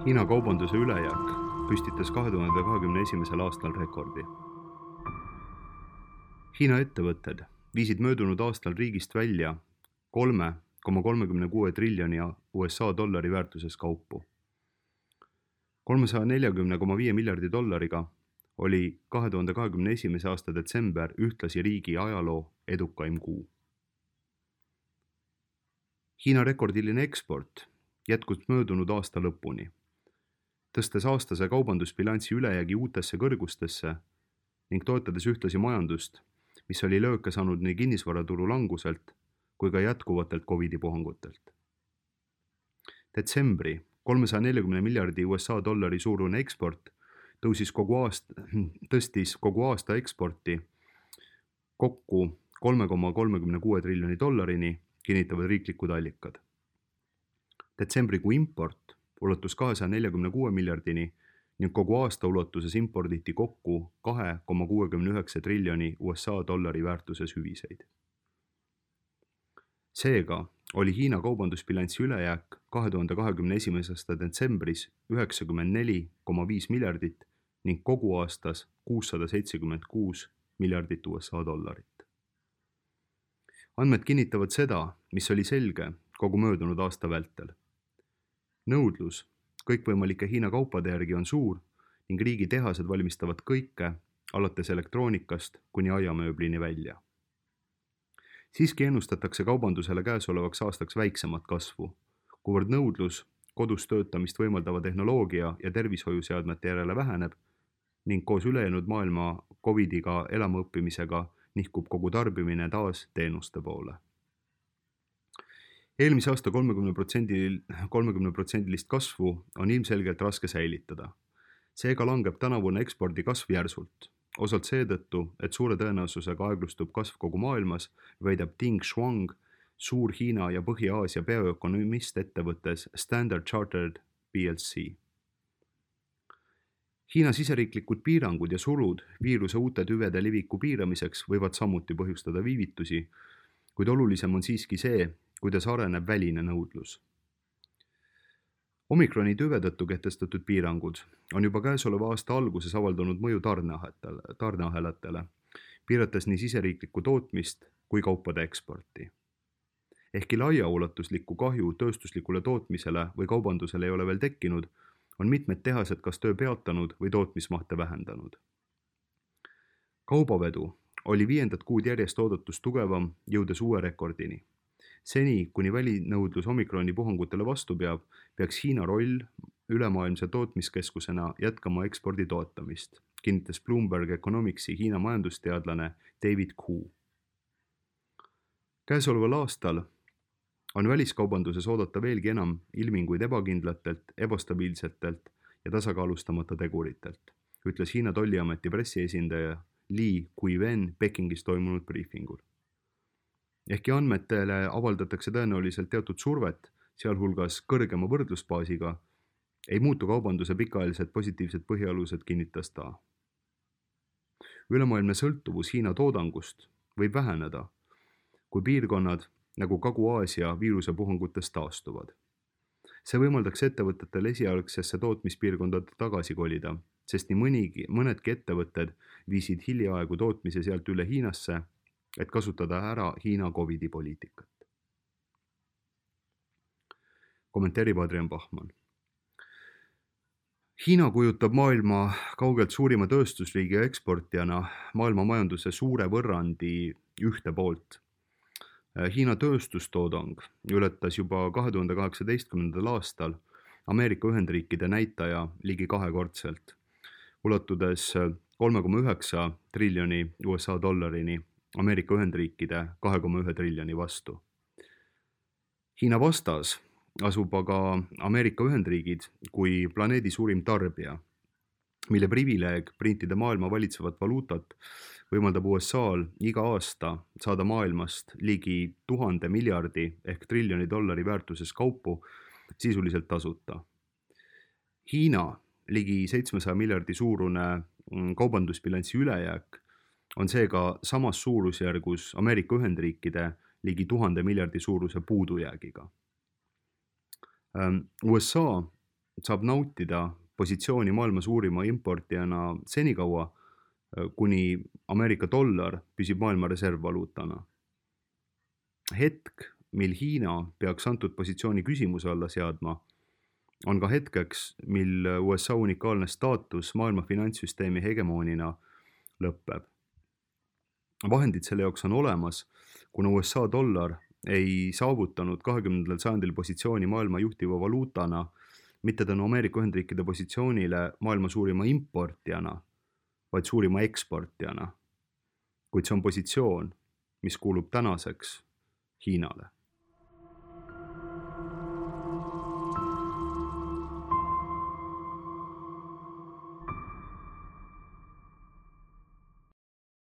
Hiina kaubanduse ülejääk püstitas 2021. aastal rekordi. Hiina ettevõtted viisid möödunud aastal riigist välja 3,36 triljoni USA dollari väärtuses kaupu. 340,5 miljardi dollariga oli 2021. aasta detsember ühtlasi riigi ajaloo edukaim kuu. Hiina rekordiline eksport jätkus möödunud aasta lõpuni, tõstes aastase kaubandusbilansi ülejäägi uutesse kõrgustesse ning toetades ühtlasi majandust, mis oli lööke saanud nii kinnisvaraturu languselt kui ka jätkuvatelt COVID-i puhangutelt. Detsembri 340 miljardi USA dollari suurune eksport tõstis kogu aasta eksporti kokku 3,36 triljoni dollarini, kinnitavad riiklikud allikad. Detsembrikuu import ulatus 246 miljardini ning kogu aasta ulatuses imporditi kokku 2,69 triljoni USA dollari väärtuses hüviseid. Seega oli Hiina kaubandusbilansi ülejääk 2021. aasta detsembris 94,5 miljardit ning kogu aastas 676 miljardit USA dollarit. Andmed kinnitavad seda, mis oli selge kogu möödunud aasta vältel. Nõudlus kõikvõimalike Hiina kaupade järgi on suur ning riigi tehased valmistavad kõike, alates elektroonikast kuni aiamööblini välja. Siiski ennustatakse kaubandusele käesolevaks aastaks väiksemat kasvu, kuivõrd nõudlus kodus töötamist võimaldava tehnoloogia ja tervishoiuseadmete järele väheneb ning koos ülejäänud maailma COVID-iga elamaõppimisega nihkub kogu tarbimine taas teenuste poole. Eelmise aasta 30% kasvu on ilmselgelt raske säilitada. Seega langeb tänavune ekspordi kasv järsult, osalt seetõttu, et suure tõenäosusega aeglustub kasv kogu maailmas, väidab Ding Shuang, suur Hiina ja Põhja-Aasia peaökonomist ettevõttes Standard Chartered PLC. Hiina siseriiklikud piirangud ja sulud viiruse uute tüvede leviku piiramiseks võivad samuti põhjustada viivitusi, kuid olulisem on siiski see, kuidas areneb väline nõudlus. Omikroni tüve tõttu kehtestatud piirangud on juba käesoleva aasta alguses avaldanud mõju tarneahelatele, piirates nii siseriiklikku tootmist kui kaupade eksporti. Ehkki laiaulatuslikku kahju tööstuslikule tootmisele või kaubandusele ei ole veel tekkinud, on mitmed tehased kas töö peatanud või tootmismahte vähendanud. Kaubavedu oli 5. kuud järjest oodatust tugevam, jõudes uue rekordini. Seni, kuni välinõudlus omikroni puhangutele vastu peab, peaks Hiina roll ülemaailmse tootmiskeskusena jätkama ekspordi toetamist, kinnitas Bloomberg Economicsi Hiina majandusteadlane David Ku. Käesoleval aastal on väliskaubanduses oodata veelgi enam ilminguid ebakindlatelt, ebastabiilsetelt ja tasakaalustamata teguritelt, ütles Hiina tolliameti pressiesindaja Li Guiwen Pekingis toimunud briefingul. Ehkki andmetele avaldatakse tõenäoliselt teatud survet, sealhulgas kõrgema võrdlusbaasiga, ei muutu kaubanduse pikaajalised positiivsed põhialused, kinnitas ta. Ülemaailmne sõltuvus Hiina toodangust võib väheneda, kui piirkonnad nagu Kagu-Aasia viirusepuhangutest taastuvad. See võimaldaks ettevõtetel esialgsesse tootmispiirkondade tagasi kolida, sest nii mõnedki ettevõtted viisid hiljaaegu tootmise sealt üle Hiinasse, et kasutada ära Hiina COVID-i poliitikat. Kommenteerib Adrian Bachmann. Hiina kujutab maailma kaugelt suurima tööstusriigi ja eksportijana maailma majanduse suure võrrandi ühte poolt. Hiina tööstustoodang ületas juba 2018. aastal Ameerika Ühendriikide näitaja ligi kahekordselt, ulatudes 3,9 triljoni USA dollarini Ameerika Ühendriikide 2,1 triljoni vastu. Hiina vastas asub aga Ameerika Ühendriigid kui planeedi suurim tarbija, mille privileeg printida maailma valitsevat valuutat võimaldab USA-l iga aasta saada maailmast ligi 1000 miljardi ehk triljoni dollari väärtuses kaupu sisuliselt tasuta. Hiina ligi 700 miljardi suurune kaubandusbilansi ülejääk on seega samas suurusjärgus Ameerika Ühendriikide ligi 1000 miljardi suuruse puudujäägiga. USA saab nautida positsiooni maailma suurima importijana senikaua, kuni Ameerika dollar püsib maailma reservvaluutana. Hetk, mil Hiina peaks antud positsiooni küsimuse alla seadma, on ka hetkeks, mil USA unikaalne staatus maailma finantssüsteemi hegemoonina lõpeb. Vahendid selle jaoks on olemas, kuna USA dollar ei saavutanud 20. sajandil positsiooni maailma juhtiva valuutana mitte tänu Ameerika Ühendriikide positsioonile maailma suurima importijana, vaid suurima eksportijana. Kuid see on positsioon, mis kuulub tänaseks Hiinale.